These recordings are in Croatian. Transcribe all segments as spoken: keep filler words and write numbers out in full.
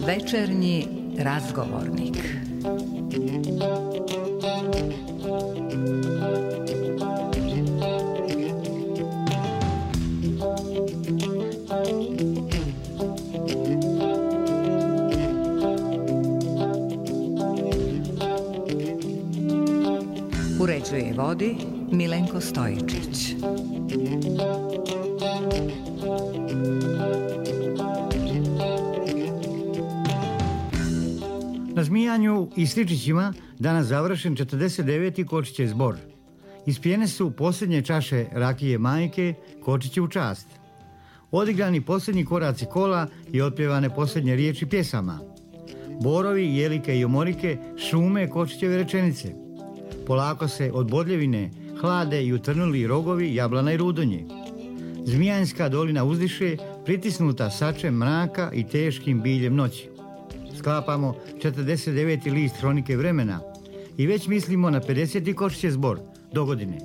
Večernji razgovornik. Uređuje i vodi Milenko Stojičić. Na Zmijanju i Sličićima danas završen četrdeset deveti Kočićev zbor. Ispijene su posljednje čaše rakije majke Kočiće u čast. Odigrani posljednji koraci kola i otpjevane posljednje riječi pjesama. Borovi, jelike i omorike šume Kočićeve rečenice. Polako se od Bodljevine hlade i utrnuli rogovi jablana i rudonje. Zmijanska dolina uzdiše, pritisnuta sačem mraka i teškim biljem noći. Sklapamo četrdeset deveti list hronike vremena i već mislimo na pedeseti Kočićev zbor do godine.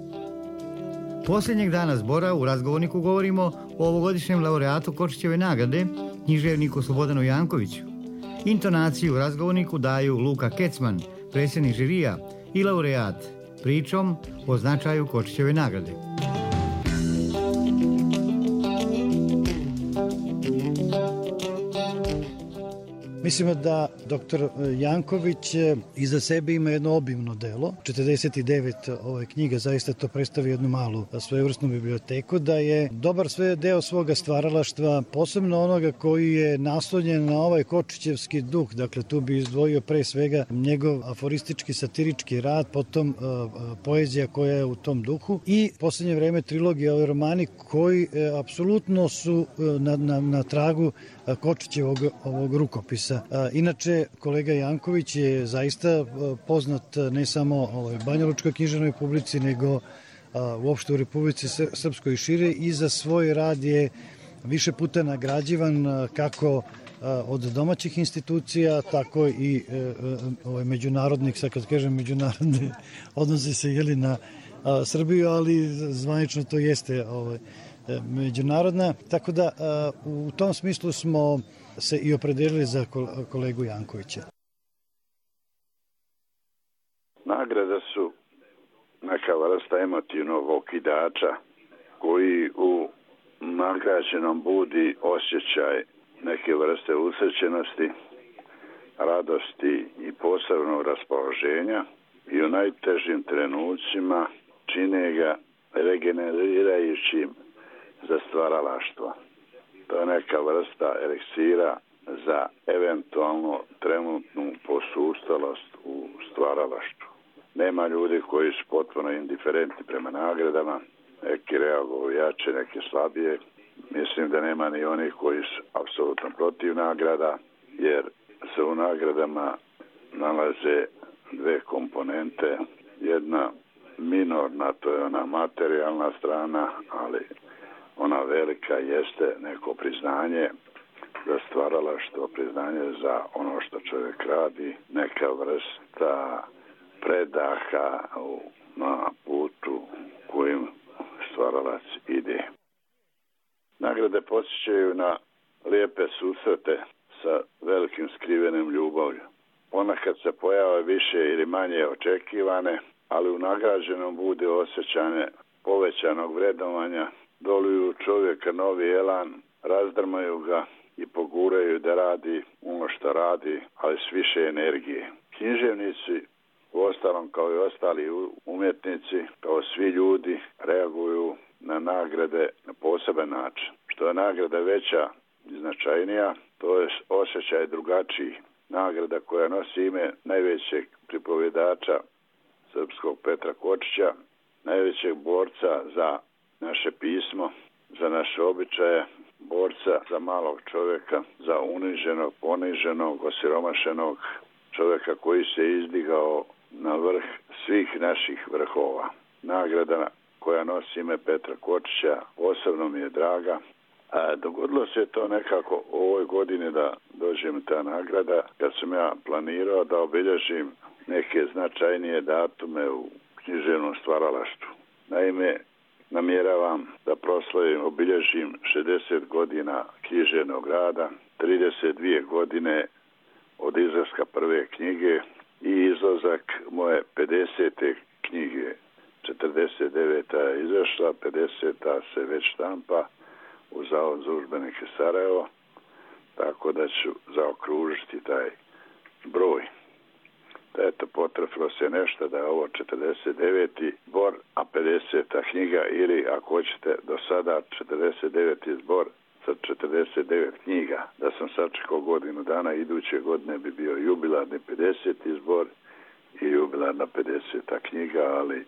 Posljednjeg dana zbora u razgovorniku govorimo o ovogodišnjem laureatu Kočićeve nagrade, književniku Slobodanu Jankoviću. Intonaciju u razgovorniku daju Luka Kecman, predsjednik žirija i laureat, pričom o značaju Kočićeve nagrade. Mislimo da doktor Janković iza sebe ima jedno obimno delo, četrdeset devet ove knjige, zaista to predstavlja jednu malu svojevrsnu biblioteku, da je dobar sve deo svoga stvaralaštva, posebno onoga koji je naslonjen na ovaj kočićevski duh, dakle tu bi izdvojio pre svega njegov aforistički satirički rad, potom uh, poezija koja je u tom duhu i posljednje vreme trilogija, ovi romani koji uh, apsolutno su uh, na, na, na tragu uh, Kočićevog ovog rukopisa. Inače, kolega Janković je zaista poznat ne samo u banjalučkoj književnoj publici, nego uopšte u Republici Srpskoj i šire i za svoj rad je više puta nagrađivan kako od domaćih institucija, tako i ovaj, međunarodnih, sad kad kažem međunarodne, odnosi se jeli na Srbiju, ali zvanično to jeste ovaj, međunarodna. Tako da u tom smislu smo se i opredelili za kolegu Jankovića. Nagrade su neka vrsta emotivnog okidača koji u nagrađenom budi osjećaj neke vrste usrećenosti, radosti i posebnog raspoloženja i u najtežim trenucima čine ga regenerirajućim za stvaralaštvo. To je neka vrsta eliksira za eventualno trenutnu posustalost u stvaralaštvu. Nema ljudi koji su potpuno indiferentni prema nagradama, neki reaguju jače, neki slabije. Mislim da nema ni onih koji su apsolutno protiv nagrada, jer se u nagradama nalaze dve komponente. Jedna minorna, to je ona materijalna strana, ali ona velika jeste neko priznanje za stvaralaštvo, priznanje za ono što čovjek radi, neka vrsta predaha na putu kojim stvaralac ide. Nagrade podsjećaju na lijepe susrete sa velikim skrivenim ljubavlju. Ponekad se pojave više ili manje očekivane, ali u nagrađenom bude osjećanje povećanog vrednovanja, doluju čovjeka novi elan, razdrmaju ga i poguraju da radi ono što radi, ali s više energije. Književnici, uostalom kao i ostali umjetnici, kao svi ljudi, reaguju na nagrade na poseban način. Što je nagrada veća i značajnija, to je osjećaj drugačiji. Nagrada koja nosi ime najvećeg pripovjedača srpskog Petra Kočića, najvećeg borca za naše pismo, za naše običaje, borca za malog čovjeka, za uniženog, poniženog, osiromašenog čovjeka koji se izdigao na vrh svih naših vrhova. Nagrada koja nosi ime Petra Kočića posebno mi je draga. A dogodilo se to nekako u ovoj godini da dođe mi ta nagrada, kad sam ja planirao da obilježim neke značajnije datume u književnom stvaralaštvu. Naime, namjeravam da proslavim, obilježim šezdeset godina književnog rada, trideset dvije godine od izlaska prve knjige i izlazak moje pedesete knjige. četrdeset deveta je izašla, pedeseta se već štampa u Zavod za udžbenike Sarajevo, tako da ću zaokružiti taj broj. Da eto, potrefilo se nešto da je ovo četrdeset deveti zbor, a pedeseta knjiga, ili ako hoćete do sada četrdeset deveti zbor sa četrdeset devet knjiga. Da sam sačekao godinu dana, iduće godine bi bio jubilarni pedeseti zbor i jubilarna pedeseta knjiga, ali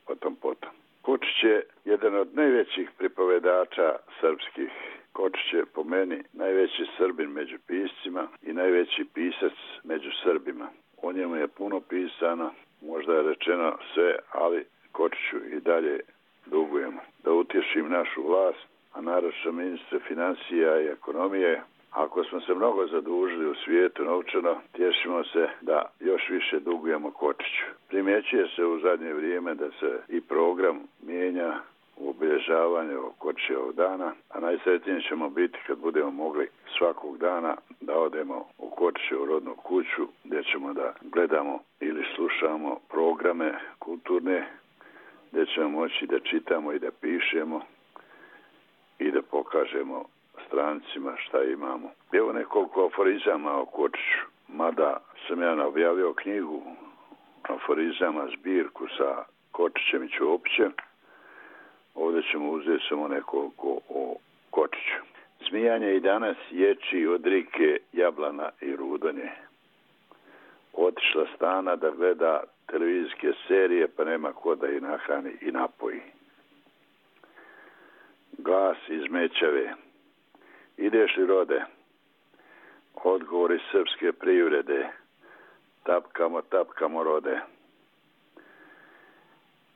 potom potom. Kočić je jedan od najvećih pripovedača srpskih. Kočić je po meni najveći Srbin među piscima i najveći pisac među Srbima. O njemu je puno pisano, možda je rečeno sve, ali Kočiću i dalje dugujemo. Da utješim našu vlast, a naročito ministre financija i ekonomije, ako smo se mnogo zadužili u svijetu novčano, tješimo se da još više dugujemo Kočiću. Primjećuje se u zadnje vrijeme da se i program mijenja u obilježavanju Kočićevog dana, a najsretniji ćemo biti kad budemo mogli svakog dana da odemo u Kočićevu rodnu kuću, gdje ćemo da gledamo ili slušamo programe kulturne, gdje ćemo moći da čitamo i da pišemo i da pokažemo strancima šta imamo. Evo nekoliko aforizama o Kočiću, mada sam ja objavio knjigu aforizama, zbirku sa Kočićem i Ćopićem. Ovdje ćemo uzeti samo nekoliko o Kočiću. Smijanje i danas ječi od rike jablana i rudonje. Otišla stana da gleda televizijske serije, pa nema ko da i nahrani i napoji. Glas iz Mećave. Ideš li, rode? Odgovor iz srpske privrede. Tapkamo, tapkamo, rode.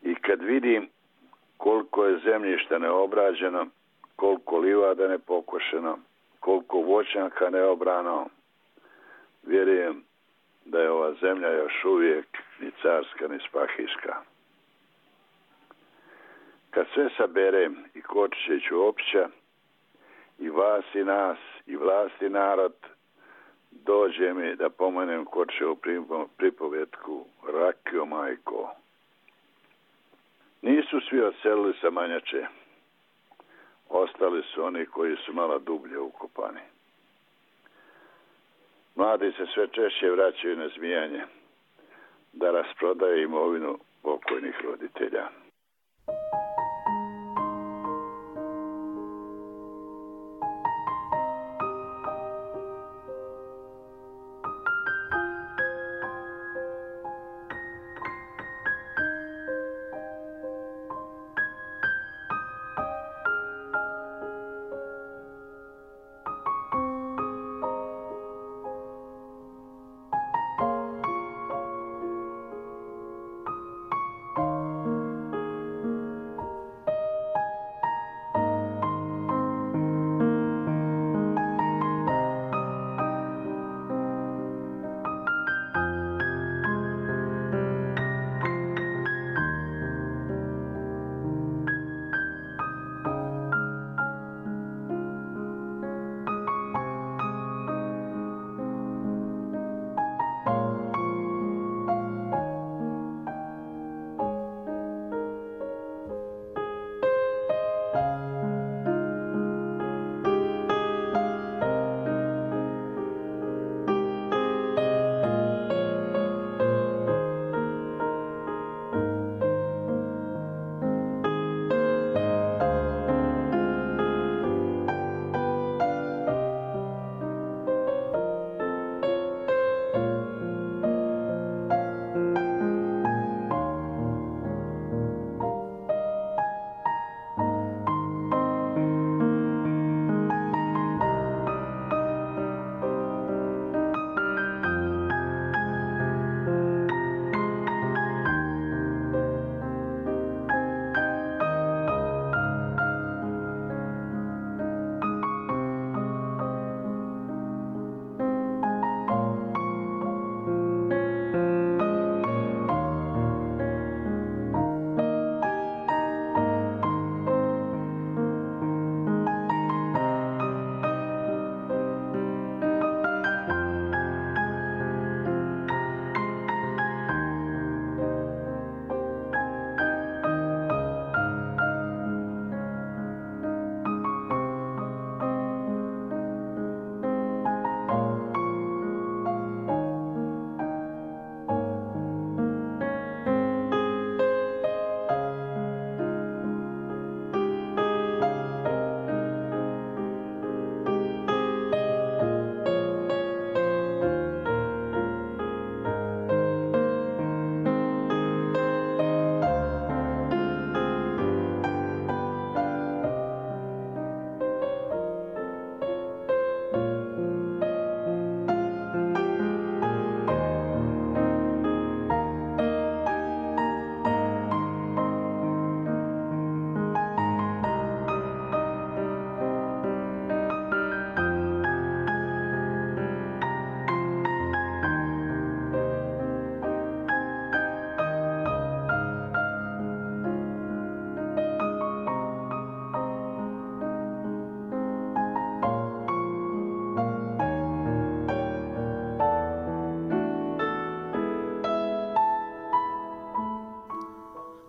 I kad vidim koliko je zemljišta neobrađeno, koliko livada nepokošeno, koliko voćnjaka neobrano, vjerujem da je ova zemlja još uvijek ni carska ni spahijska. Kad sve saberem, i Kočića i Ćopića, i vas i nas, i vlast i narod, dođe mi da pomenem Kočićevu pripovetku Rakio majko. Nisu svi odselili sa Manjače. Ostali su oni koji su malo dublje ukopani. Mladi se sve češće vraćaju na Zmijanje da rasprodaju imovinu pokojnih roditelja.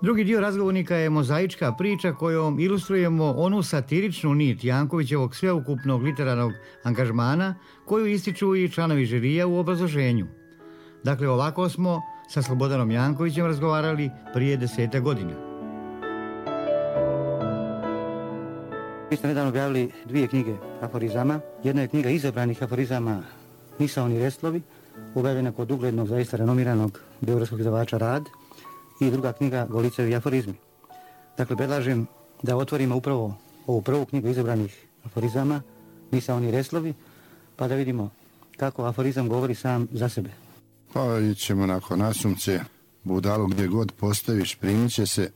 Drugi dio razgovornika je mozaička priča kojom ilustrujemo onu satiričnu nit Jankovićevog sveukupnog literarnog angažmana koju ističu i članovi žirija u obrazloženju. Dakle, ovako smo sa Slobodanom Jankovićem razgovarali prije deseta godina. Mi ste nedavno objavili dvije knjige aforizama. Jedna je knjiga izabranih aforizama Misaoni restlovi, objavljena kod uglednog, zaista renomiranog beogradskog izdavača Rad, i druga knjiga Golicevi aforizmi. Dakle, predlažem da otvorimo upravo ovu prvu knjigu izabranih aforizama Misaoni restlovi, pa da vidimo kako aforizam govori sam za sebe. Pa ićemo nakon nasumce, budalu gdje god postaviš primit će se,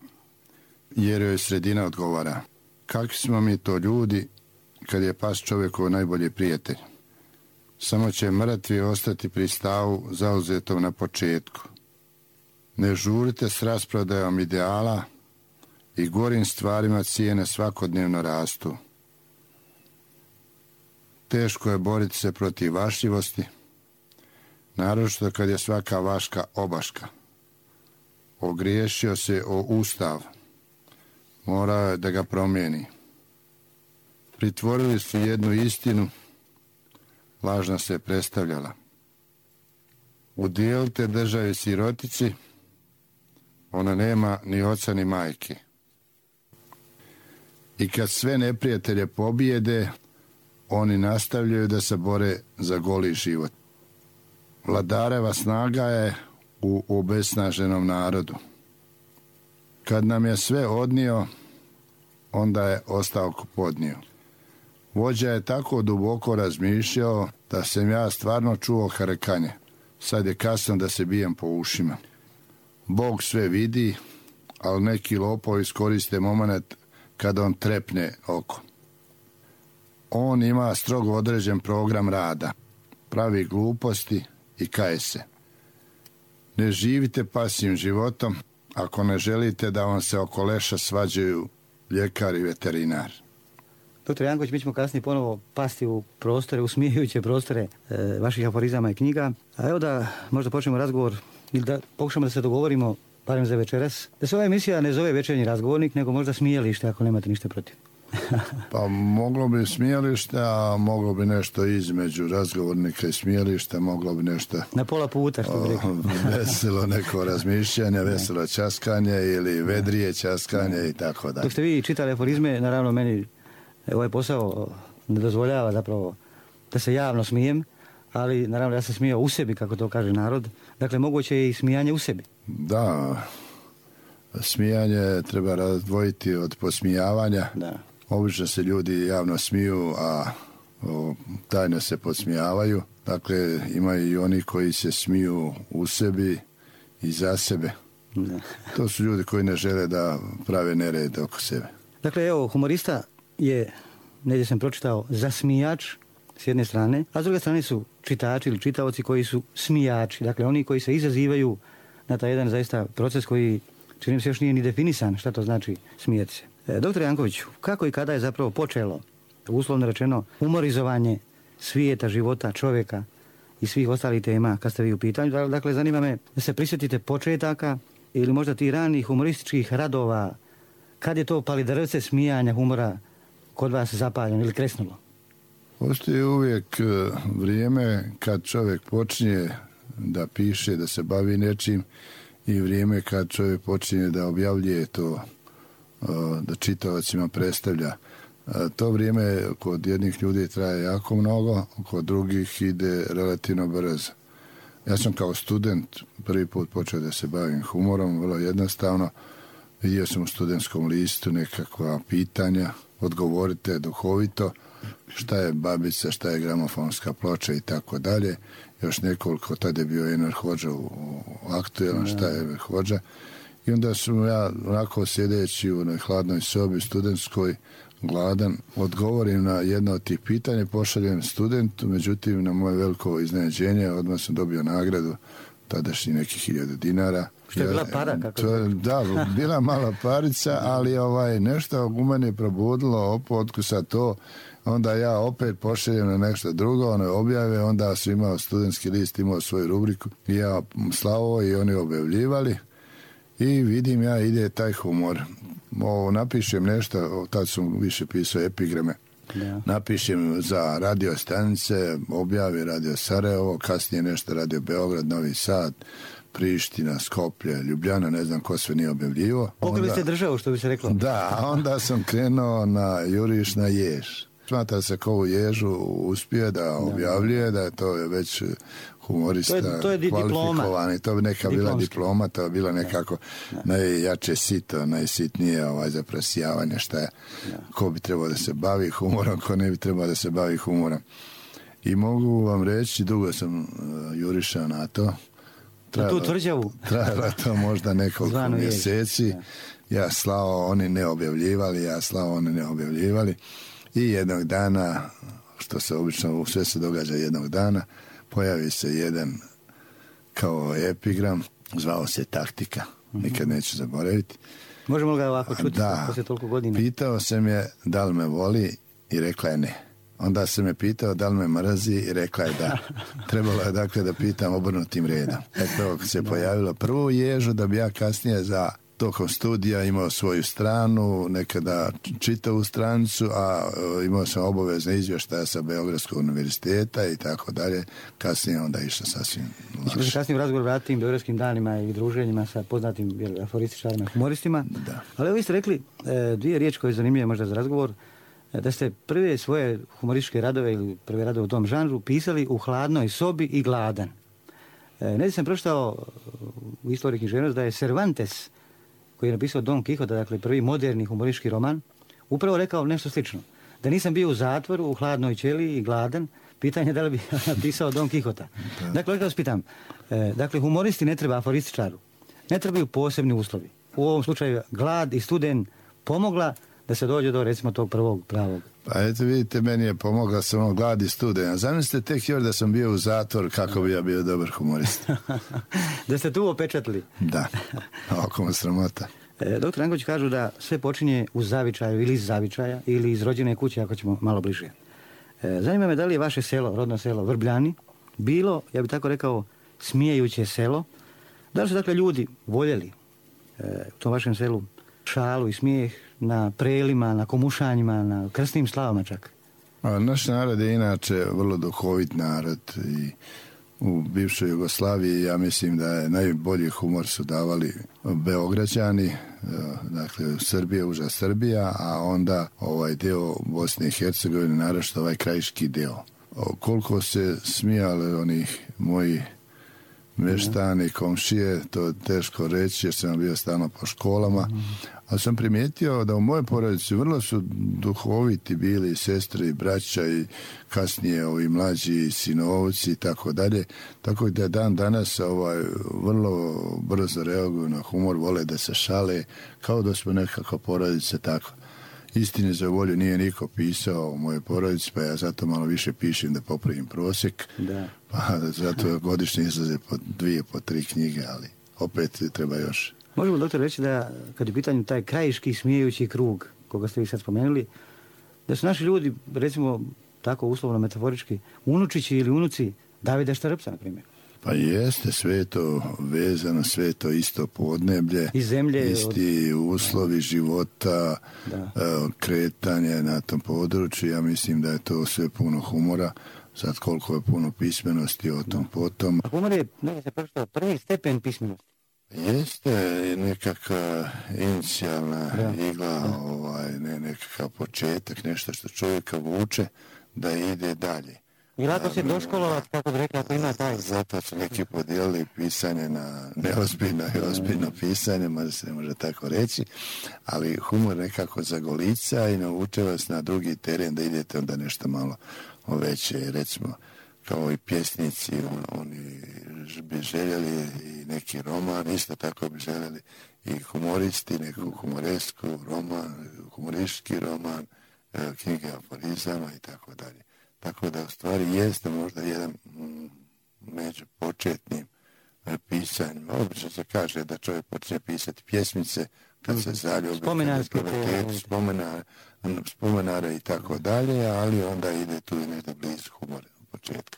jer joj sredina odgovara. Kakvi smo mi to ljudi kad je pas čovjekov najbolji prijatelj? Samo će mrtvi ostati pri stavu zauzetom na početku. Ne žurite s rasprodajom ideala i gorim stvarima cijene svakodnevno rastu. Teško je boriti se protiv vašljivosti, naročito kad je svaka vaška obaška. Ogriješio se o Ustav, morao je da ga promijeni. Pritvorili su jednu istinu, lažna se predstavljala. Udijelite državi sirotici, ona nema ni oca ni majke. I kad sve neprijatelje pobijede, oni nastavljaju da se bore za goli život. Vladareva snaga je u obesnaženom narodu. Kad nam je sve odnio, onda je ostavku podnio. Vođa je tako duboko razmišljao da sam ja stvarno čuo harekanje. Sad je kasno da se bijem po ušima. Bog sve vidi, ali neki lopovi iskoriste moment kada on trepne oko. On ima strogo određen program rada, pravi gluposti i kaje se. Ne živite pasivnim životom ako ne želite da vam se oko leša svađaju ljekar i veterinar. Doktor Janković, mi ćemo kasnije ponovo pasti u prostore, usmijehujuće prostore e, vaših aforizama i knjiga. A evo da možda počnemo razgovor ili da pokušamo da se dogovorimo, barem za večeras, da se ova emisija ne zove Večernji razgovornik, nego možda Smijalište, ako nemate ništa protiv. Pa moglo bi Smijalište, a moglo bi nešto između razgovornika i Smijališta, moglo bi nešto... Na pola puta, što bi rekao. Veselo neko razmišljanje, veselo časkanje ili vedrije časkanje i tako dalje. Dok ste vi čitali aforizme, naravno meni ovaj posao ne dozvoljava zapravo da se javno smijem, ali naravno ja sam smijao u sebi, kako to kaže narod. Dakle, moguće je i smijanje u sebi. Da, smijanje treba razdvojiti od posmijavanja. Da. Obično se ljudi javno smiju, a o, tajno se podsmijavaju. Dakle, ima i oni koji se smiju u sebi i za sebe. Da. To su ljudi koji ne žele da prave nered oko sebe. Dakle, evo, humorista je, negdje sam pročitao, zasmijač s jedne strane, a s druge strane su čitači ili čitaoci koji su smijači. Dakle, oni koji se izazivaju na taj jedan zaista proces koji, čini mi se, još nije ni definisan šta to znači smijeti se. E, doktor Janković, kako i kada je zapravo počelo, uslovno rečeno, humorizovanje svijeta, života, čovjeka i svih ostalih tema kad ste vi u pitanju? Dakle, zanima me da se prisjetite početaka ili možda ti ranih humorističkih radova, kad je to palidrvce smijanja humora kod vas zapaljeno ili kresnulo? Postoji uvijek vrijeme kad čovjek počinje da piše, da se bavi nečim, i vrijeme kad čovjek počinje da objavljuje to, da čitaocima predstavlja. To vrijeme kod jednih ljudi traje jako mnogo, kod drugih ide relativno brzo. Ja sam kao student prvi put počeo da se bavim humorom, vrlo jednostavno. Vidio sam u studentskom listu nekakva pitanja, odgovorite duhovito, šta je babica, šta je gramofonska ploča i tako dalje. Još nekoliko, tada je bio Enver Hodža u aktuelan, šta je Enver Hodža. I onda sam ja onako sjedeći u onoj hladnoj sobi studentskoj, gladan, odgovorim na jedno od tih pitanja, pošaljem studentu, međutim na moje veliko iznenađenje odmah sam dobio nagradu, tadašnji nekih hiljada dinara. Što je bila para? Kako to, da, bila mala parica, ali ovaj, nešto u meni je probudilo, opotku sa to, onda ja opet pošaljem na nešto drugo, one objave, onda su imao studentski list, imao svoju rubriku, i ja slavo i oni objavljivali. I vidim ja, ide taj humor. Ovo, napišem nešto, tad sam više pisao epigrame. Da. Napišem za radio stanice, objavi Radio Sarajevo, kasnije nešto Radio Beograd, Novi Sad, Priština, Skoplje, Ljubljana, ne znam ko sve nije objavljivo. Pokrili ste državu, što bi se reklo. Da, onda sam krenuo na juriš na jež. Smatra se ko u ježu uspije da objavljuje, da je to već humorista to je, to je kvalifikovani. To bi neka bila diploma, to bi bila nekako da. najjače sito, najsitnije ovaj, za presijavanje šta je, da. ko bi trebao da se bavi humorom, ko ne bi trebao da se bavi humorom. I mogu vam reći, dugo sam uh, jurišao na to. Trajalo, tu tvrđavu. Trajalo to možda nekoliko mjeseci. Da. Ja slao, oni ne objavljivali, ja slao, oni ne objavljivali. I jednog dana, što se obično sve se događa jednog dana, pojavi se jedan kao epigram, zvao se Taktika, nikad neću zaboraviti. Možemo li ga ovako čuti da, poslije toliko godina? Pitao sam je da li me voli i rekla je ne. Onda sam me pitao da li me mrazi i rekla je da. Trebalo je dakle da pitam obrnutim redom. Eto, se pojavilo prvu ježu da bi ja kasnije za tokom studija imao svoju stranu, nekada čitavu stranicu, a imao sam obavezne izvještaje sa Beogradskog univerziteta i tako dalje. Kasnije onda išlo sasvim lakše. Znači, kasnije u razgovor vratim Beogradskim danima i druženjima sa poznatim aforističarima i humoristima. Da. Ali vi ste rekli e, dvije riječi koje je zanimljive možda za razgovor, e, da ste prve svoje humorističke radove ili prve radove u tom žanru pisali u hladnoj sobi i gladan. E, ne sam pročitao u istoriji književnosti da je Cervantes, koji je napisao Don Quixote, dakle prvi moderni humoristički roman, upravo rekao nešto slično. Da nisam bio u zatvoru, u hladnoj ćeliji i gladan, pitanje da li bi napisao Don Quixota. Da. Dakle, vas pitam, e, dakle, humoristi ne treba aforističaru, ne trebaju posebni uslovi. U ovom slučaju glad i studen pomogla da se dođe do, recimo, tog prvog pravog. Pa eto, vidite, meni je pomogla samo glad i studen. Zamislite tek još da sam bio u zatvor, kako bi ja bio dobar humorist. Da ste tu opečatili. Da, oko mu sramota. E, doktor Janković kažu da sve počinje u zavičaju ili iz zavičaja ili iz rođene kuće, ako ćemo malo bliže. E, zanima me da li je vaše selo, rodno selo Vrbljani, bilo, ja bih tako rekao, smijejuće selo. Da li su dakle ljudi voljeli e, u tom vašem selu šalu i smijeh na prelima, na komušanjima, na krstnim slavama čak? A naš narod je inače vrlo duhovit narod i u bivšoj Jugoslaviji ja mislim da je najbolji humor su davali Beograđani, dakle Srbija, uža Srbija, a onda ovaj deo Bosne i Hercegovine, naročito ovaj krajiški deo. O, koliko se smijale onih moji meštani, komšije, to je teško reći jer sam bio stalno po školama, ali sam primijetio da u mojoj porodici vrlo su duhoviti bili sestre i braća i kasnije ovi mlađi sinovci i tako dalje, tako da dan danas ovaj, vrlo brzo reaguju na humor, vole da se šale, kao da smo nekako porodice tako. Istine za volju nije niko pisao u mojoj porodici, pa ja zato malo više pišem da popravim prosjek. Da. Pa zato godišnje izlaze po dvije, po tri knjige, ali opet treba još. Možemo, doktor, reći da kad je pitanju taj krajiški smijejući krug, koga ste vi sad spomenuli, da su naši ljudi, recimo tako uslovno metaforički, unučići ili unuci Davida Štarpca, na primjer. Pa jeste, sve je to vezano, sve je to isto podneblje, i zemlje, isti od... uslovi života, da. Kretanje na tom području. Ja mislim da je to sve puno humora, sad koliko je puno pismenosti o tom da. Potom. A humor je, ne se pročitao, prvi stepen pismenosti. Jeste nekakva inicijalna da. Igla, da. Ovaj, ne, nekakav početak, nešto što čovjeka vuče da ide dalje. I lako se doškolovati, kako bi rekla, ako ima taj. Zato su neki podijelili pisanje na neozbiljno i ozbiljno pisanje, možda se ne može tako reći, ali humor nekako zagolica i nauče vas na drugi teren da idete onda nešto malo veće, recimo kao i pjesnici, on, oni bi željeli i neki roman, isto tako bi željeli i humoristi, neku humoresku roman, humoristički roman, knjige aforizama i tako dalje. Tako da u stvari jeste možda jedan m, među početnim e, pisanjem. Obično se kaže da čovjek počne pisati pjesmice kad se zaljubi, spomenare, spomenare i tako dalje, ali onda ide tu i nešto blizu humora u početku.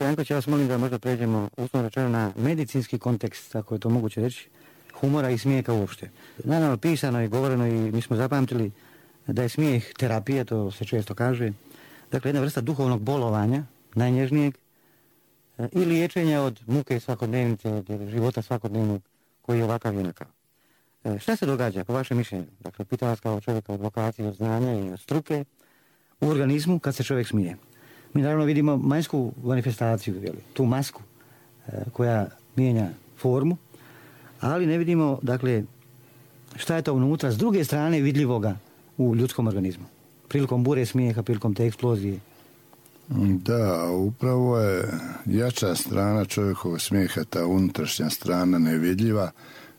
doktor Janković, ja vas molim da možda pređemo uslovno rečeno na medicinski kontekst, ako je to moguće reći, humora i smijeka uopšte. Naravno, pisano i govoreno i mi smo zapamtili da je smijeh terapija, to se često kaže. Dakle, jedna vrsta duhovnog bolovanja, najnježnijeg, i liječenja od muke svakodnevnice, od života svakodnevnog koji je ovakav i onakav. Šta se događa, po vašem mišljenju? Dakle, pitam vas kao čovjeka od vokacije, od znanja i od struke, u organizmu kad se čovjek smije. Mi naravno vidimo vanjsku manifestaciju, jeli, tu masku koja mijenja formu, ali ne vidimo, dakle, šta je to unutra s druge strane vidljivoga u ljudskom organizmu. Prilikom bure smijeha, prilikom te eksplozije. Da, upravo je jača strana čovjekovog smijeha, ta unutrašnja strana nevidljiva,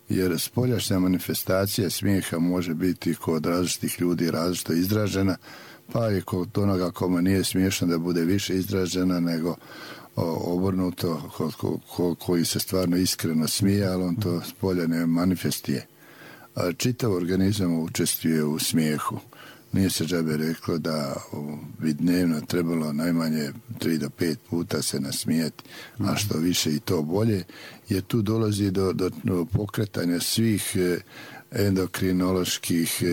jer spoljašnja manifestacija smijeha može biti kod različitih ljudi različito izražena, pa i kod onoga kome nije smiješno da bude više izražena nego obrnuto kod ko, ko, koji se stvarno iskreno smije, ali on to spolja ne manifestije. Čitav organizam učestvuje u smijehu. Nije se džabe reklo da bi dnevno trebalo najmanje tri do pet puta se nasmijeti, a što više i to bolje, jer tu dolazi do, do, do pokretanja svih endokrinoloških,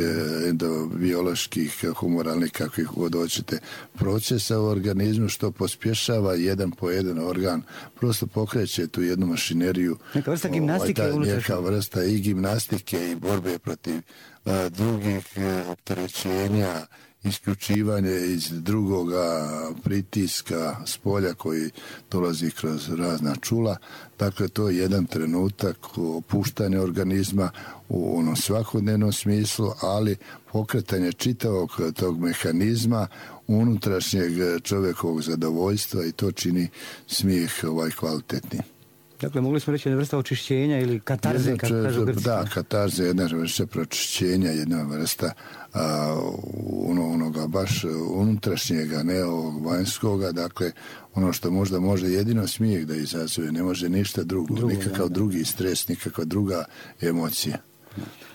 endobioloških, humoralnih, kakvih god hoćete, procesa u organizmu, što pospješava jedan po jedan organ, prosto pokreće tu jednu mašineriju. Neka vrsta gimnastike ovaj, unutrašnje. Neka vrsta i gimnastike i borbe protiv a, drugih opterećenja, isključivanje iz drugoga pritiska s polja koji dolazi kroz razna čula. Dakle, to je jedan trenutak opuštanja organizma u onom svakodnevnom smislu, ali pokretanje čitavog tog mehanizma unutrašnjeg čovjekovog zadovoljstva, i to čini smijeh ovaj kvalitetni. Dakle, mogli smo reći jedna vrsta očišćenja ili katarze, jedna, kako kažu Grci. Da, katarze, jedna vrsta pročišćenja, jedna vrsta a, ono, onoga baš unutrašnjega, ne ovog vanjskoga, dakle, ono što možda može jedino smijeh da izazove, ne može ništa drugo, drugo nikakav da, drugi stres, nikakva druga emocija.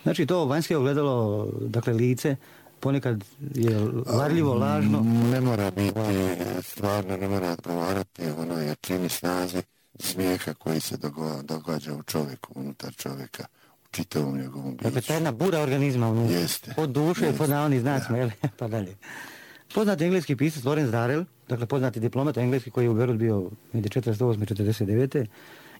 Znači, to vanjske ogledalo, dakle, lice, ponekad je varljivo, lažno. Ne mora biti, stvarno ne mora odgovarati, ono je čini snazi smijeha koji se događa u čovjeku, unutar čovjeka, u čitavom njegovom biću. Dakle, ta jedna bura organizma unutra. Jeste. Od duše, jeste, pod navodnim znacima, jel? Pa dalje. Poznati engleski pisac Lawrence Darrell, dakle poznati diplomat engleski koji je u Beirut bio među četrdeset osme i četrdeset devete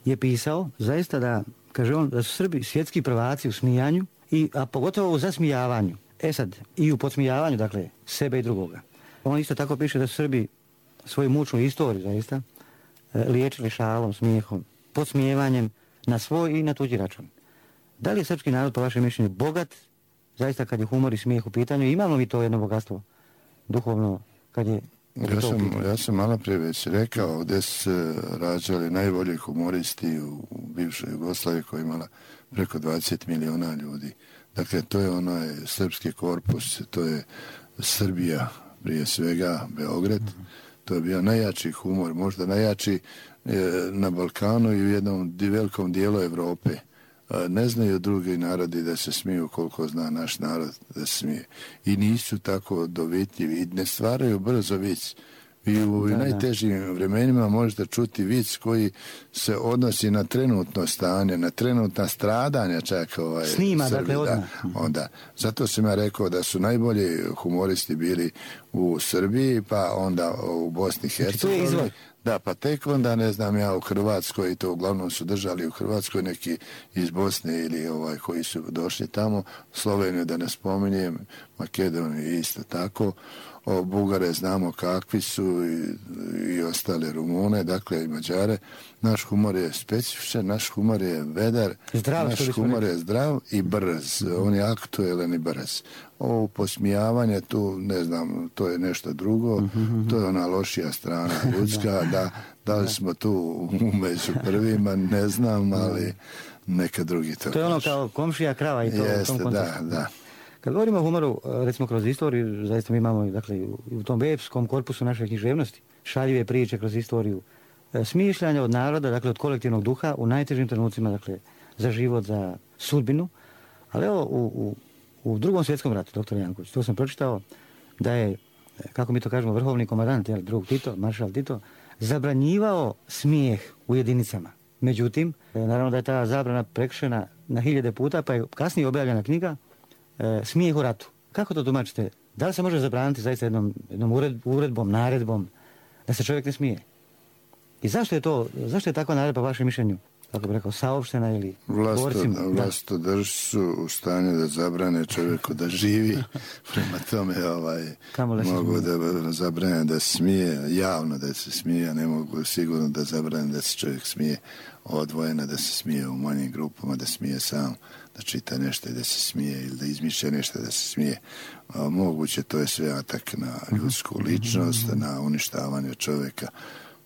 je pisao zaista da, kaže on, da su Srbi svjetski prvaci u smijanju, i, a pogotovo u zasmijavanju. E sad, i u podsmijavanju, dakle, sebe i drugoga. On isto tako piše da su Srbi svoju mučnu istoriju, zaista, liječili šalom, smijehom, podsmijevanjem na svoj i na tuđi račun. Da li je srpski narod, po vašem mišljenju, bogat, zaista kad je humor i smijeh u pitanju? Imamo mi to jedno bogatstvo duhovno kad je... Ja sam, ja sam malo prije već rekao gdje se rađali najbolji humoristi u, u bivšoj Jugoslaviji koja je imala preko dvadeset miliona ljudi. Dakle, to je onaj srpski korpus, to je Srbija prije svega, Beograd. Mm-hmm. To je bio najjači humor, možda najjači e, na Balkanu i u jednom velikom dijelu Evrope. E, ne znaju drugi narodi da se smiju koliko zna naš narod da se smije. I nisu tako dovitljivi i ne stvaraju brzo vic. I u da, najtežim da. vremenima možete čuti vic koji se odnosi na trenutno stanje, na trenutna stradanja čak ovaj, snima, Srbi, dakle, da, onda. Zato sam ja rekao da su najbolji humoristi bili u Srbiji, pa onda u Bosni i Hercegovini. Da, pa tek onda, ne znam ja, u Hrvatskoj, i to uglavnom su držali u Hrvatskoj neki iz Bosne ili ovaj koji su došli tamo, Sloveniju da ne spominjem, Makedoniju isto tako. O Bugare znamo kakvi su i, i ostale Rumune, dakle i Mađare. Naš humor je specifičan, naš humor je vedar, zdrav, naš humor je zdrav i brz, on je aktuelan i brz. Ovo posmijavanje tu, ne znam, to je nešto drugo, mm-hmm. to je ona lošija strana ljudska, da, da li smo tu među prvima, ne znam, ali neka drugi to. To je ono kao komšija krava i to. Jeste, u tom kontekstu. da, da. Kad govorimo o humoru, recimo kroz istoriju, zaista mi imamo, dakle, u tom epskom korpusu naše književnosti, šaljive priče kroz istoriju, smišljanja od naroda, dakle od kolektivnog duha u najtežim trenucima, dakle, za život, za sudbinu. Ali evo, u, u, u drugom svjetskom ratu, doktor Janković, to sam pročitao, da je, kako mi to kažemo, vrhovni komandant, jel, drug Tito, maršal Tito, zabranjivao smijeh u jedinicama. Međutim, naravno da je ta zabrana prekršena na hiljade puta, pa je kasnije objavljena knjiga e, Smijeh u ratu. Kako to tumačite? Da li se može zabraniti zaista jednom, jednom ured, uredbom, naredbom da se čovjek ne smije? I zašto je to, zašto je takva naredba, vašem mišljenju, kako bi rekao, saopštena ili borcima? Vlastodršci su u stanju da zabrane čovjeku da živi, prema tome ovaj, mogu da zabrane da smije, javno da se smije, ne mogu sigurno da zabrane da se čovjek smije odvojeno, da se smije u manjim grupama, da smije sam, da čita nešto i da se smije ili da izmišlja nešto da se smije. A, moguće, to je sve atak na ljudsku ličnost, na uništavanje čovjeka.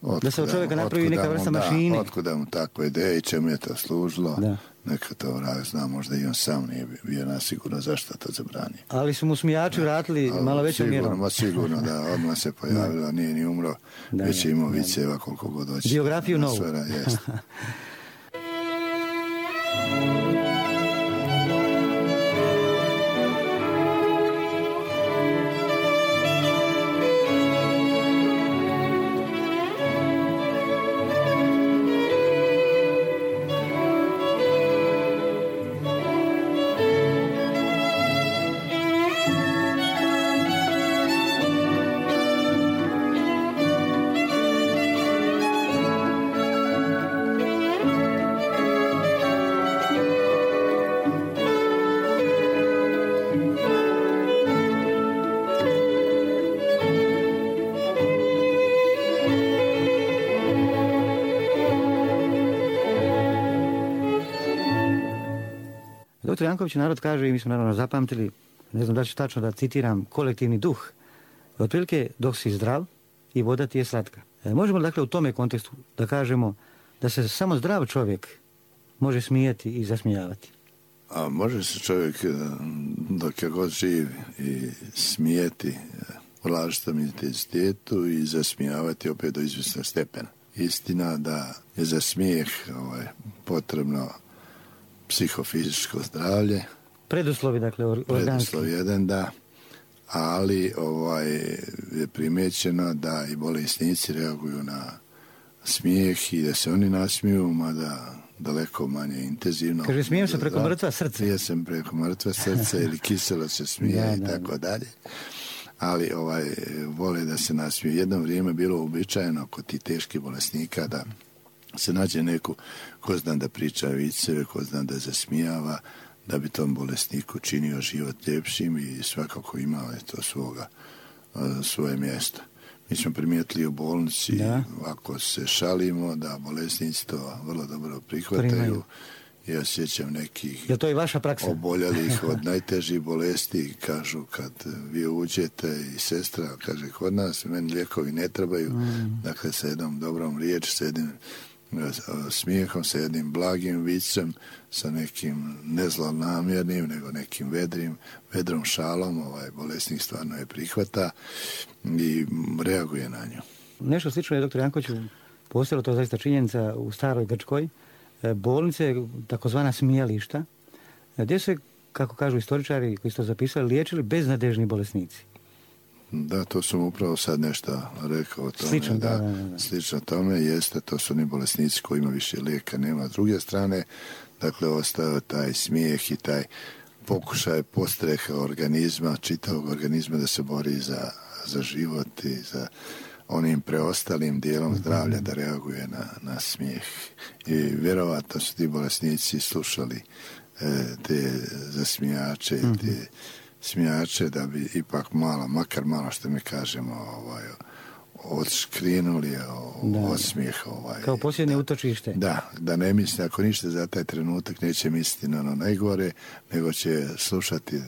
Otkuda, da se od čovjeka napravi neka vrsta da, mašine. Otkuda mu takva ideja i čemu je to služilo. Da. Neka to vrag zna, možda i on sam nije bio nasigurno zašto to zabranio. Ali su mu smijači vratili da, malo većom mjerom. Ma sigurno, da, odmah se pojavila, nije ni umro, da, već je imao viceva koliko god hoće. Biografiju novu. Doktor Janković, narod kaže, i mi smo naravno zapamtili, ne znam da ću tačno da citiram, kolektivni duh. Otprilike, dok si zdrav i voda ti je slatka. E, možemo dakle u tome kontekstu da kažemo da se samo zdrav čovjek može smijati i zasmijavati. A može se čovjek dok je god živ i smijeti u različitom intenzitetu i zasmijavati opet do izvjesnog stepena. Istina da je za smijeh ovaj, potrebno psihofizičko zdravlje. Preduslovi, dakle, organski. Preduslov jedan, da. Ali ovaj, je primjećeno da i bolesnici reaguju na smijeh i da se oni nasmiju, mada daleko manje intenzivno. Kaže, smijem se preko mrtva srca. Smijem se preko mrtva srca ili kiselo se smije da, i da, tako da. dalje. Ali ovaj, vole da se nasmiju. Jedno vrijeme bilo uobičajeno kod tih teških bolesnika da se nađe neku ko zna da priča viceve, ko zna da zasmijava, da bi tom bolesniku činio život ljepšim i svakako imao je to svoga, svoje mjesto. Mi smo primijetili u bolnici, da. Ako se šalimo, da bolesnici to vrlo dobro prihvataju. Primaju. Ja sjećam nekih je to i vaša praksa? Oboljelih od najtežih bolesti, kažu kad vi uđete i sestra kaže kod nas, meni lijekovi ne trebaju, mm. dakle sa jednom dobrom riječ, sa jednim smijehom, sa jednim blagim vicem, sa nekim ne zlonamjernim, nego nekim vedrim, vedrom šalom, ovaj bolesnik stvarno je prihvata i reaguje na nju. Nešto slično je, doktor Jankoviću, postojalo to zaista činjenica u staroj Grčkoj, bolnice, takozvana smijališta, gdje se, kako kažu istoričari koji su to zapisali, liječili beznadežni bolesnici. Da, to sam upravo sad nešto rekao o tome. Slično, da, da, da, da. Slično tome jeste, to su oni bolesnici koji ima više lijeka, nema. S druge strane, dakle, ostao taj smijeh i taj pokušaj postreha organizma, čitavog organizma da se bori za, za život i za onim preostalim dijelom zdravlja da reaguje na, na smijeh. I vjerovatno su ti bolesnici slušali e, te zasmijače, mm-hmm. te smijače da bi ipak malo, makar malo što mi kažemo, ovaj, odškrinuli od smijeha. Ovaj, kao posljednje utočište. Da, da ne misli, ako ništa za taj trenutak neće misliti na ono najgore, nego će slušati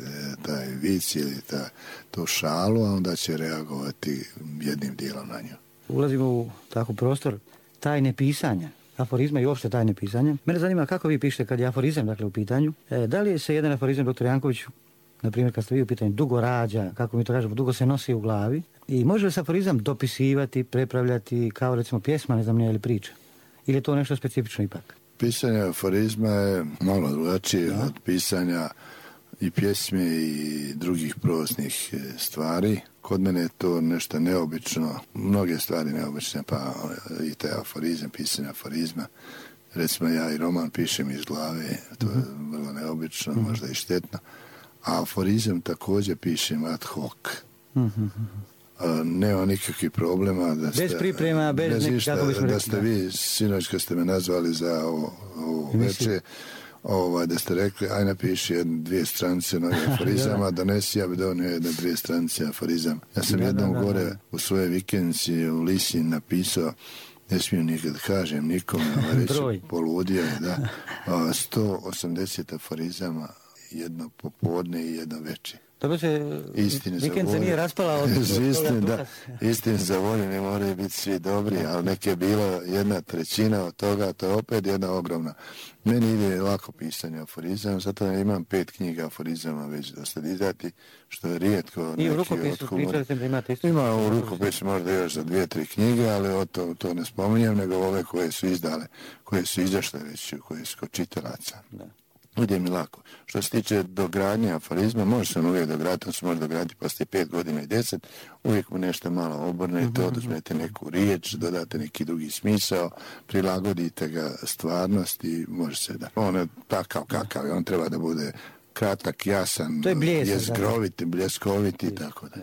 taj vic ili ta, tu šalu, a onda će reagovati jednim dijelom na nju. Ulazimo u tako prostor tajne pisanja, aforizma i uopšte tajne pisanja. Mene zanima kako vi pišete kad je aforizam, dakle, u pitanju. E, da li je se jedan aforizam, doktor Jankoviću, na primjer kad ste vi u pitanju, dugo rađa, kako mi to kažemo, dugo se nosi u glavi, i može li se aforizam dopisivati, prepravljati kao recimo pjesma, ne znam nije, ili priča? Ili je to nešto specifično ipak? Pisanje aforizma je malo drugačije od pisanja i pjesme i drugih proznih stvari. Kod mene je to nešto neobično, mnoge stvari neobične, pa i taj aforizam, pisanje aforizma. Recimo ja i roman pišem iz glave, to je vrlo neobično, mm-hmm. možda i štetno. A aforizam također pišem ad hoc. Mm-hmm. Nema nikakvih problema. Da ste, bez priprema, bez, bez ništa, kako bismo rekli. Da ste vi, sinoć kad ste me nazvali za ovo, ovo večer, ovaj, da ste rekli, aj napiši jedne, dvije stranice novih aforizama, donesi, ja bi donio jedne, dvije stranice aforizama. Ja sam da, jednom da, da, gore da. u svojoj vikendici u Lisin napisao, ne smijem nikad kažem nikome, reći poludio je, da, sto osamdeset aforizama, jedno popodne i jedno večer. Dobro se, vikend se nije raspala od istine, da, istine za volju ne moraju biti svi dobri, ali nek je bilo jedna trećina od toga, to je opet jedna ogromna. Meni ide lako pisanje aforizama, zato imam pet knjiga aforizama već dosta izdati, što je rijetko. I u rukopisu pričali ste da imate isto? Ima u rukopisu možda još za dvije, tri knjige, ali o to, to ne spominjem, nego ove koje su izdale, koje su izašle već, koje su kod čitalaca. Da. Ide mi lako. Što se tiče dogradnje aforizma, može se on uvijek dograditi, on se može dograditi poslije pet godina i deset, uvijek mu nešto malo obrnete, oduzmete neku riječ, dodate neki drugi smisao, prilagodite ga stvarnosti, može se da. On je takav kakav, on treba da bude kratak, jasan, jezgrovit, bljeskovit i tako da.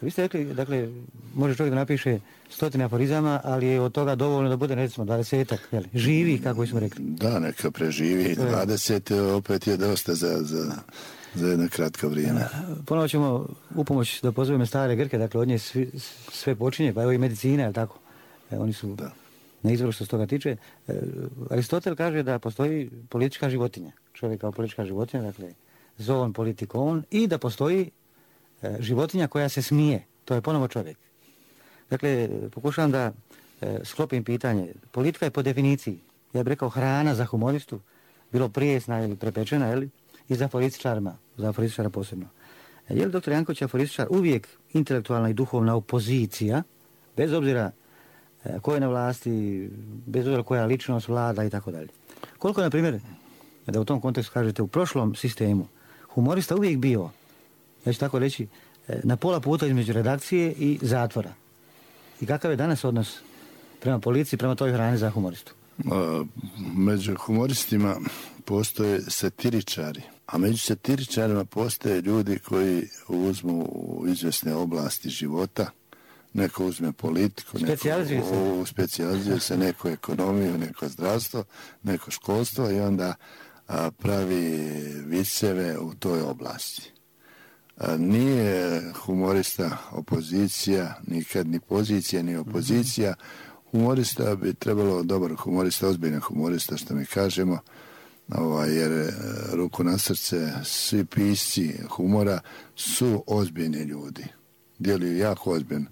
Vi ste rekli, dakle, može čovjek da napiše stotine aforizama, ali je od toga dovoljno da bude, recimo, dvadesetak, jel? Živi, kako smo rekli. Da, neka preživi. dvadeset opet je dosta za, za, za jedno kratko vrijeme. Ponovo ćemo upomoć da pozovemo stare Grke, dakle, od nje svi, sve počinje, pa evo i medicina, jel tako? E, oni su da. na izvoru što se toga tiče. E, Aristotel kaže da postoji politička životinja. Čovjek kao politička životinja, dakle, zoon politikon, i da postoji životinja koja se smije, to je ponovo čovjek. Dakle, pokušavam da e, sklopim pitanje. Politika je po definiciji, ja bih rekao, hrana za humoristu, bilo prijesna ili prepečena, jel? I za aforističarima, za aforističara posebno. E, je li doktor Janković aforističar uvijek intelektualna i duhovna opozicija, bez obzira e, ko je na vlasti, bez obzira koja ličnost vlada i tako dalje. Koliko, na primjer, da u tom kontekstu kažete, u prošlom sistemu humorista uvijek bio, ja ću tako reći, na pola puta između redakcije i zatvora. I kakav je danas odnos prema policiji, prema toj hrani za humoristu? Među humoristima postoje satiričari, a među satiričarima postoje ljudi koji uzmu u izvjesne oblasti života, neko uzme politiku, specijalizuje neko u, specijalizuje se, neko ekonomiju, neko zdravstvo, neko školstvo i onda a, pravi viceve u toj oblasti. Nije humorista opozicija, nikad ni pozicija, ni opozicija. Humorista bi trebalo, dobar humorista, ozbiljan humorista, što mi kažemo, ovaj, jer ruku na srce, svi pisci humora su ozbiljni ljudi. Djeluju jako ozbiljno.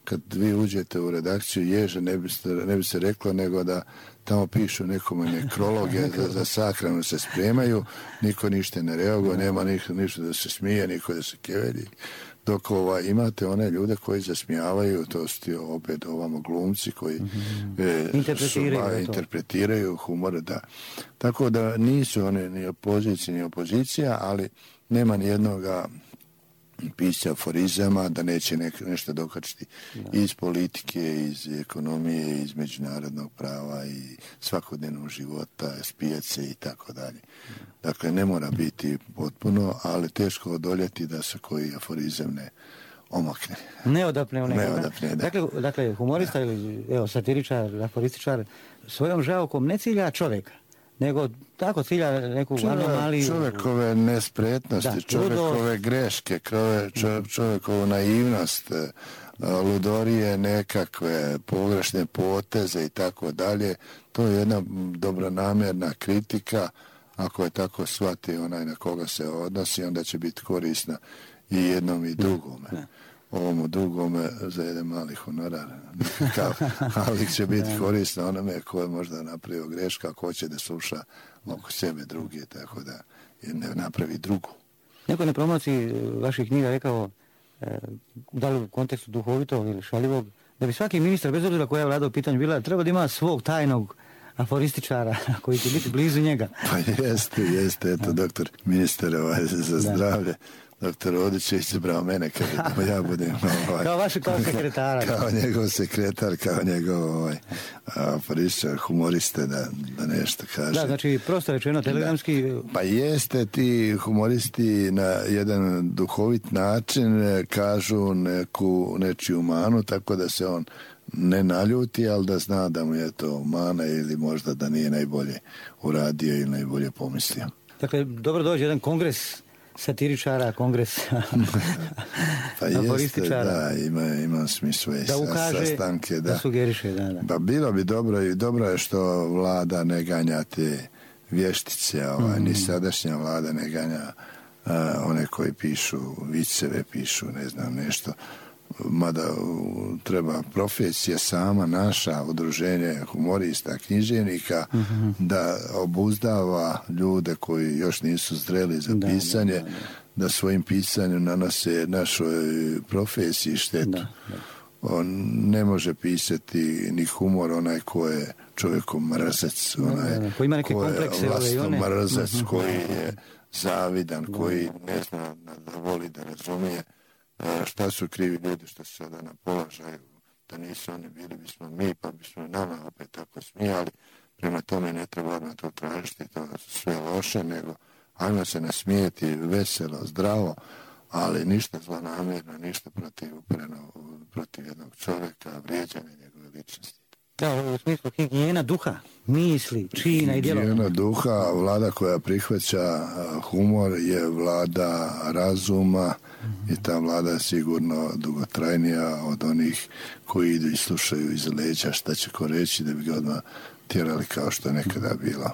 Kad vi uđete u redakciju Ježe, ne bi se, ne bi se reklo nego da tamo pišu nekome nekrologe, za, za sahranu se spremaju, niko ništa ne reaguje, nema ništa, ništa da se smije, niko da se kevelji. Dok ova, imate one ljude koji zasmijavaju, to su ti opet ovamo glumci koji mm-hmm. e, interpretiraju, su, a, interpretiraju humor. Da. Tako da nisu one ni opozicija ni opozicija, ali nema ni jednoga pisca aforizama da neće nek, nešto dokačiti da. iz politike, iz ekonomije, iz međunarodnog prava i svakodnevnog života, spijat se i tako dalje. Dakle, ne mora biti potpuno, ali teško odoljeti da se koji aforizam ne omakne. Ne odapne u nekoga. Ne odapne, da. Dakle, dakle humorista da. ili evo, satiričar, aforističar, svojom žaokom ne cilja čovjeka, nego tako cilja neku anomaliju. Čovjekove nespretnosti, da, čovjekove greške, čovjek, čovjekovu naivnost, ludorije, nekakve pogrešne poteze i tako dalje. To je jedna dobronamjerna kritika. Ako je tako shvati onaj na koga se odnosi, onda će biti korisna i jednom i drugome. Ne. Ovomu drugome za jedan mali honorar. Ali će biti korisno onome ko je možda napravio greška, ko će da sluša oko sebe drugi, tako da ne napravi drugu. Neko na promociji vaših knjiga rekao, e, da li u kontekstu duhovitog ili šaljivog, da bi svaki ministar, bez obzira koja je vlada u pitanju bila, treba da ima svog tajnog aforističara koji će biti blizu njega. Pa jeste, jeste, eto, doktor ministar ovaj, za zdravlje. Doktor Odić je izabrao mene kada ja budem ovaj, kao vaš kao sekretara. Kao njegov sekretar, kao njegov ovaj, aforističar, humoriste da, da nešto kaže. Da, znači prosto rečeno telegramski. Da. Pa jeste, ti humoristi na jedan duhovit način kažu neku nečiju manu, tako da se on ne naljuti, ali da zna da mu je to mana ili možda da nije najbolje uradio ili najbolje pomislio. Dakle, dobro dođe jedan kongres satiričara, kongres pa jeste, da, ima, ima smislu da ukaže, sastanke, da, da sugeriše, da, da. Pa bilo bi dobro i dobro je što vlada ne ganja te vještice, ovaj, mm. ni sadašnja vlada ne ganja uh, one koji pišu viceve, pišu ne znam nešto, mada uh, treba profesija sama naša, udruženje humorista, književnika, mm-hmm. da obuzdava ljude koji još nisu zreli za da, pisanje, da, da, da. da svojim pisanjem nanose našoj profesiji štetu. Da, da. On ne može pisati ni humor onaj ko je čovjekom mrzac, onaj da, da, da. Koji ima neke ko je vlastno mrzac, mm-hmm. koji je zavidan, da. koji ne zna da voli da razumije šta su krivi ljudi što su sada na položaju, da nisu oni bili bismo mi, pa bismo nama opet tako smijali. Prema tome ne treba odmah to tražiti, to sve loše, nego ajmo se nasmijeti veselo, zdravo, ali ništa zlonamjerno, ništa protiv upreno, protiv jednog čovjeka, vrijeđanja njegove ličnosti. Da, u smislu higijena duha, misli, čina i djelova. Higijena duha, vlada koja prihvaća humor je vlada razuma, mm-hmm. i ta vlada je sigurno dugotrajnija od onih koji idu i slušaju iz leđa šta će ko reći da bi ga odmah tjerali kao što je nekada bilo.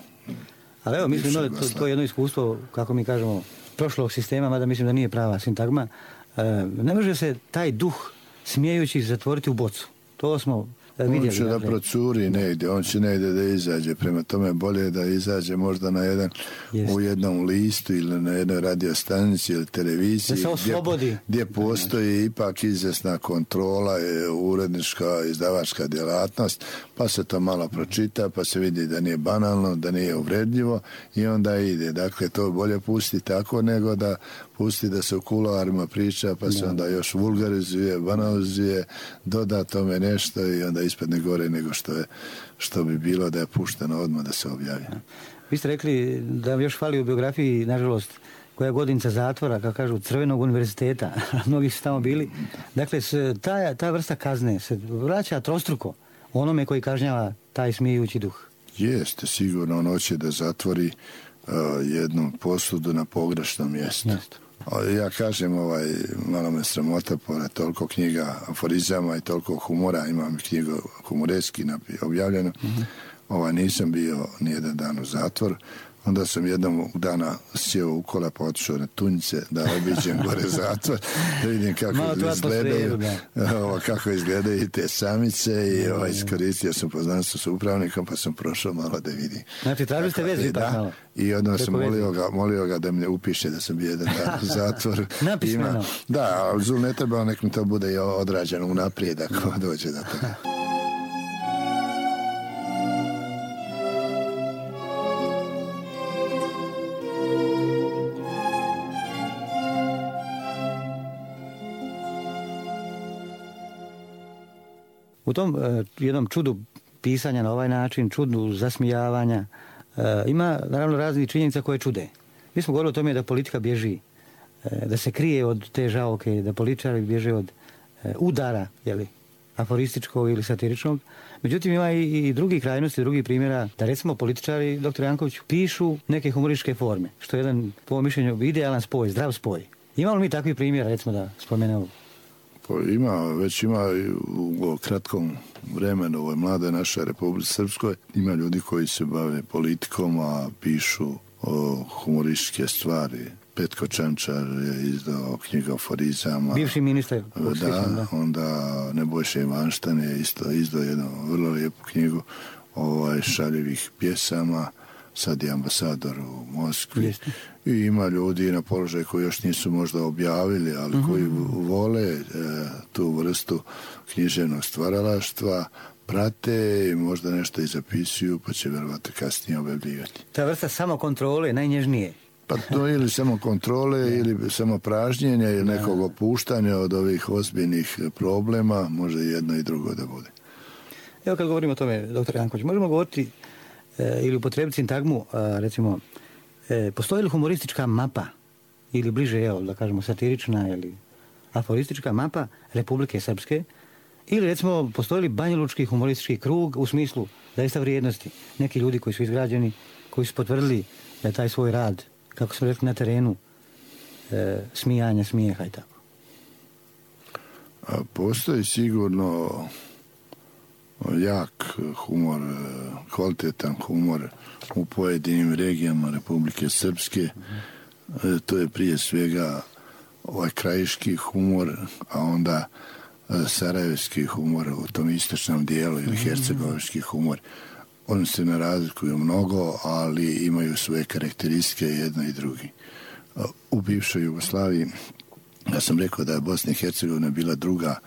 Ali evo, mislim da to, to je jedno iskustvo, kako mi kažemo, prošlog sistema, mada mislim da nije prava sintagma. E, ne može se taj duh smijejući zatvoriti u bocu. To smo vidjeli. On će da procuri negdje, on će negdje da izađe, prema tome bolje da izađe možda na jedan, u jednom listu ili na jednoj radiostanici ili televiziji, da se oslobodi. Gdje, gdje postoji ipak izvjesna kontrola, urednička, izdavačka djelatnost, pa se to malo pročita, pa se vidi da nije banalno, da nije uvredljivo i onda ide. Dakle, to bolje pusti tako nego da pusti da se u kuloarima priča, pa se onda još vulgarizuje, banalizuje, doda tome nešto i onda ispadne gore nego što je, što bi bilo da je pušteno odmah da se objavi. Vi ste rekli da još fali u biografiji, nažalost, koja godinca zatvora, kako kažu, Crvenog univerziteta, mnogi su tamo bili. Dakle, ta, ta vrsta kazne se vraća trostruko onome koji kažnjava taj smijući duh. Jeste, sigurno on hoće da zatvori uh, jednu posudu na pogrešnom mjestu. Jeste. Ja kažem, ovaj, malo me sramota, pored toliko knjiga aforizama i toliko humora, imam knjigu humoreski objavljeno, mm-hmm. ovaj, nisam bio nijedan dan u zatvor. Onda sam jednom dana sjeo u kola pa otišao na Tunjice da obiđem gore zatvor, da vidim kako izgledaju, ovo, kako izgledaju te samice i ovo, iskoristio sam poznanstvo sa upravnikom pa sam prošao malo da vidim. Znači, tražili ste vezu ipak malo? I odmah sam molio ga, molio ga da me upiše da sam bio jedan dan u zatvoru. Napismeno. Da, ali zul ne treba, nek mi to bude i odrađeno unaprijed ako dođe do toga. U tom uh, jednom čudu pisanja na ovaj način, čudu zasmijavanja, uh, ima naravno raznih činjenica koje čude. Mi smo govorili o tome da politika bježi, uh, da se krije od te žaoke, da političari bježe od uh, udara, jeli, aforističkog ili satiričnog. Međutim, ima i, i drugi krajnosti, drugi primjera, da recimo političari, doktor Janković, pišu neke humorističke forme, što je jedan, po mišljenju, idealan spoj, zdrav spoj. Imamo li mi takvi primjera, recimo da spomenemo? Ima, već ima u kratkom vremenu u ovoj mladoj našoj Republici Srpskoj ima ljudi koji se bave politikom, a pišu o humorističke stvari. Petko Čančar je izdao knjigu aforizama. Bivši ministar. Da, da, onda Nebojša Ivanštan je isto izdao jednu vrlo lijepu knjigu ovaj, šaljivih pjesama. Sad je ambasador u Moskvi. Jeste. I ima ljudi na položaju koji još nisu možda objavili, ali uh-huh. koji vole e, tu vrstu književnog stvaralaštva prate i možda nešto i zapisuju, pa će verovatno kasnije objavljivati. Ta vrsta samokontrole najnježnije. Pa to ili samo kontrole ili samo pražnjenja ili nekog opuštanja od ovih ozbiljnih problema, može jedno i drugo da bude. Evo kad govorimo o tome, doktor Janković, možemo govoriti e, ili upotrebiti sintagmu, a, recimo, e, postoji li humoristička mapa ili bliže, evo, da kažemo, satirična ili aforistička mapa Republike Srpske, ili recimo postoji li banjalučki humoristički krug u smislu zaista vrijednosti, neki ljudi koji su izgrađeni, koji su potvrdili da je taj svoj rad, kako smo rekli, na terenu e, smijanja, smijeha i tako. A postoji sigurno jak humor, kvalitetan humor u pojedinim regijama Republike Srpske. Mm-hmm. To je prije svega ovaj krajiški humor, a onda sarajevski humor u tom istočnom dijelu ili hercegovački humor. Oni se ne razlikuju mnogo, ali imaju svoje karakteristike jedno i drugi. U bivšoj Jugoslaviji, ja sam rekao da je Bosna i Hercegovina bila druga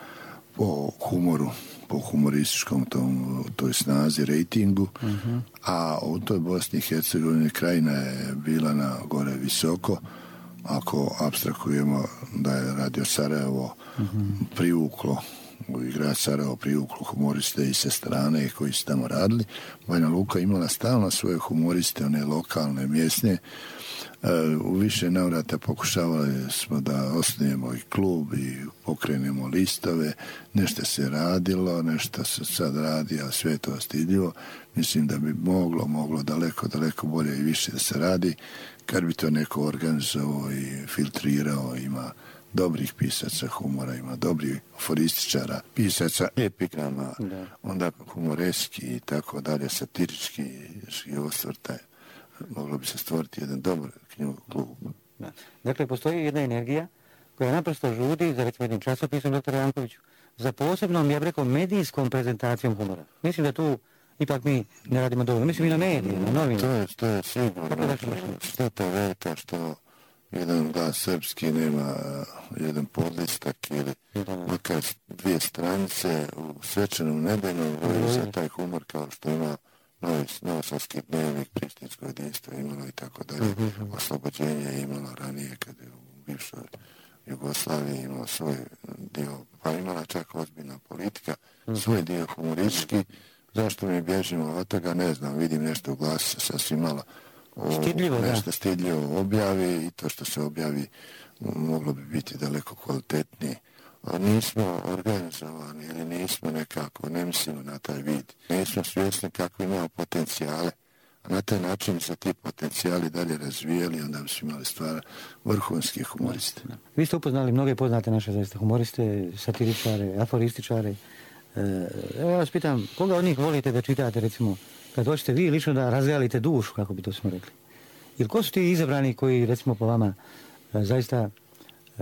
po humoru, po humorističkom tom, toj snazi, rejtingu, uh-huh. a u toj Bosni i Hercegovini Krajina je bila na gore visoko. Ako apstrakujemo da je Radio Sarajevo uh-huh. privuklo, i grad Sarajevo privuklo humoriste i sa strane koji su tamo radili, Banja Luka imala stalno svoje humoriste, one lokalne, mjesne. U više navrata pokušavali smo da osnujemo i klub i pokrenemo listove, nešto se radilo, nešto se sad radi, a sve to stidljivo. Mislim da bi moglo, moglo daleko, daleko bolje i više da se radi, kad bi to neko organizovao i filtrirao. Ima dobrih pisaca humora, ima dobrih aforističara, pisaca epigrama, da. Onda humoreski i tako dalje, satirički i osvrtaj. Moglo bi se stvoriti jedan dobar knjigov klub. Da. Dakle, postoji jedna energija koja naprosto žudi za recimo jednim časopisom, doktor Jankoviću, za posebnom, ja bih rekao, medijskom prezentacijom humora. Mislim da tu ipak mi ne radimo dovoljno. Mislim i na medije, na novine. To je, to je sigurno. Što to velika, što jedan glas srpski nema jedan podlistak ili makar dvije stranice u svečanom nebenom broju za taj humor kao što ima Novi, Novosavski dnevnik, Prištinsko jedinstvo imalo i tako dalje. Oslobođenje je imalo ranije kad je u bivšoj Jugoslaviji imalo svoj dio, pa imala čak ozbiljna politika, svoj dio humoristički. Zašto mi bježimo od toga, ne znam, vidim nešto u glasu sasvim malo o, stidljivo, nešto da. stidljivo objavi i to što se objavi moglo bi biti daleko kvalitetnije. Nismo organizovani ili nismo nekako, ne mislimo na taj vid. Nismo svjesni kako imamo potencijale, a na taj način se ti potencijali dalje razvijeli, onda bi smo imali stvar vrhunskih humoriste. Vi ste upoznali mnoge poznate naše zaista humoriste, satiričare, aforističare. Evo ja vas pitam, koga od njih volite da čitate, recimo, kad hoćete vi lično da razgalite dušu, kako bi to smo rekli? Ili ko su ti izabrani koji, recimo, po vama zaista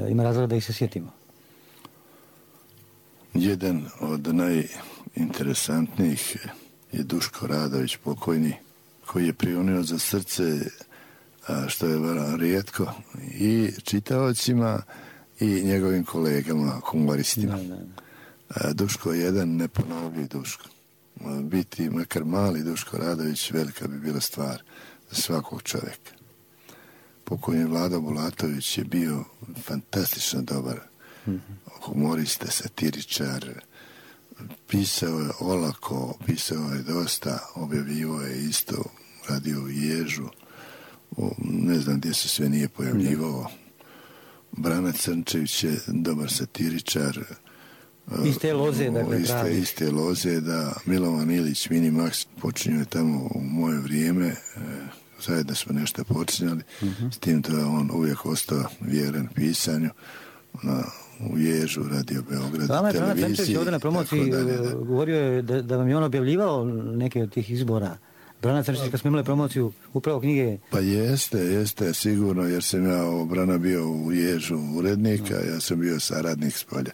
ima razloga da ih se sjetimo? Jedan od najinteresantnijih je Duško Radović, pokojni, koji je prionio za srce, što je vrlo rijetko, i čitaocima i njegovim kolegama, humoristima. Da, da, da. Duško je jedan neponovljiv Duško. Biti makar mali Duško Radović velika bi bila stvar za svakog čovjeka. Pokojni Vlado Bulatović je bio fantastično dobar humorista, satiričar, pisao je olako, pisao je dosta, objavljivo je isto, radio u Ježu, ne znam gdje se sve nije pojavljivao. Brana Crnčević je dobar satiričar, iste loze, dakle, iste, pravi. iste loze, da. Milovan Ilić, Mini Max, počinio je tamo u moje vrijeme, zajedno smo nešto počinjali, uh-huh. s tim da je on uvijek ostao vjeren pisanju, na, u Ježu, Radio Beograd, Vama je televiziji. Brana Crnčević ovdje na promociji dalje, da. govorio je da, da vam je on objavljivao neke od tih izbora. Brana Crnčević, kad smo imali promociju upravo knjige... Pa jeste, jeste, sigurno, jer sam ja o Brana bio u Ježu urednika, ja sam bio saradnik s polja.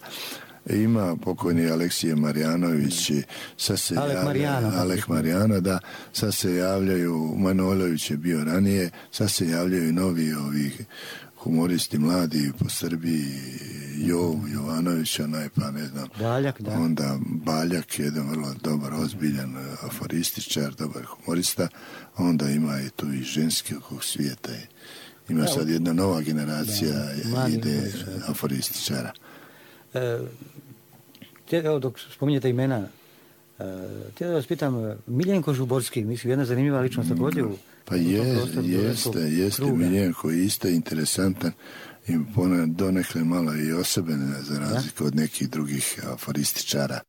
Ima pokojni Aleksije Marjanović, sad se Alek javlja, Marijano. Alek Marijano, da, sad se javljaju, Manojlović je bio ranije, sad se javljaju novi ovih humoristi mladi po Srbiji, Jovo Jovanović, onaj pa ne znam, Baljak, da. Onda Baljak, jedan vrlo dobar, ozbiljan aforističar, dobar humorista, onda ima i tu i ženski okog svijeta. Ima sad jedna nova generacija da, ide aforističara. E, evo, dok spominjete imena, e, htio da vas pitam, Miljenko Žuborski, mislim, jedna zanimljiva ličnost također u... Pa je, jeste, jeste Miljenko, isto interesantan i donekle malo i osoben za razliku od nekih drugih aforističara.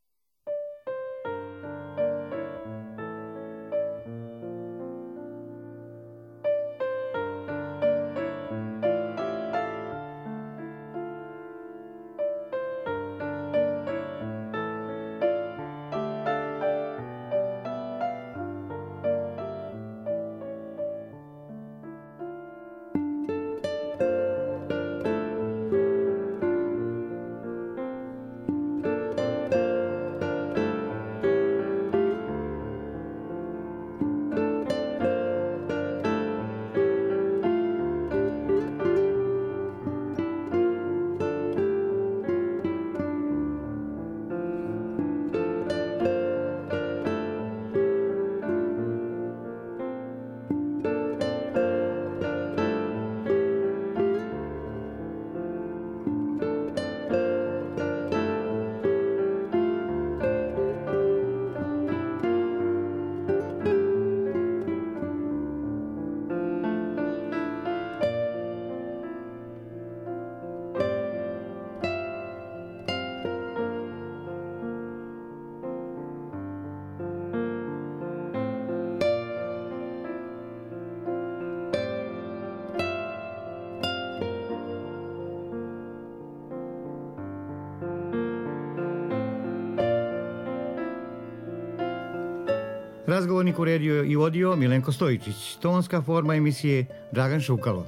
Razgovornik uredio i vodio Milenko Stojičić. Tonska forma emisije Dragan Šukalo.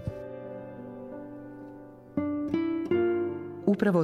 Upravo